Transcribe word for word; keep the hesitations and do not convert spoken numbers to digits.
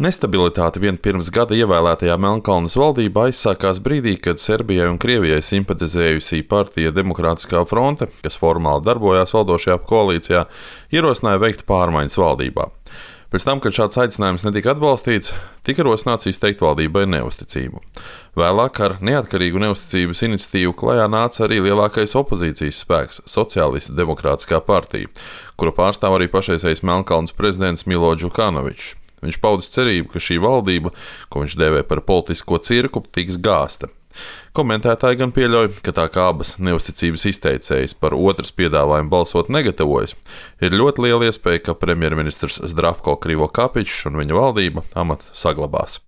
Nestabilitāte vien pirms gada ievēlētajā Melnkalnes valdībā aizsākās brīdī, kad Serbijai un Krievijai simpatizējusī partija Demokrātiskā fronte, kas formāli darbojās valdošajā koalīcijā, ierosināja veikt pārmaiņas valdībā. Pēc tam, kad šāds aicinājums netika atbalstīts, tika rosināts izteikt valdībai neusticību. Vēlāk ar neatkarīgu neusticības iniciatīvu klajā nāca arī lielākais opozīcijas spēks - Sociālistu demokrātiskā partija, kura pārstāv arī pašreizējais Melnkalnes prezidents Milo Džukanovičs. Viņš paudis cerību, ka šī valdība, ko viņš dēvē par politisko cirku, tiks gāzta. Komentētāji gan pieļauj, ka tā kā abas neusticības izteicējas par otras piedāvājumu balsot negatavojas, ir ļoti liela iespēja, ka premjerministrs Zdravko Krivokapičs un viņa valdība amatu saglabās.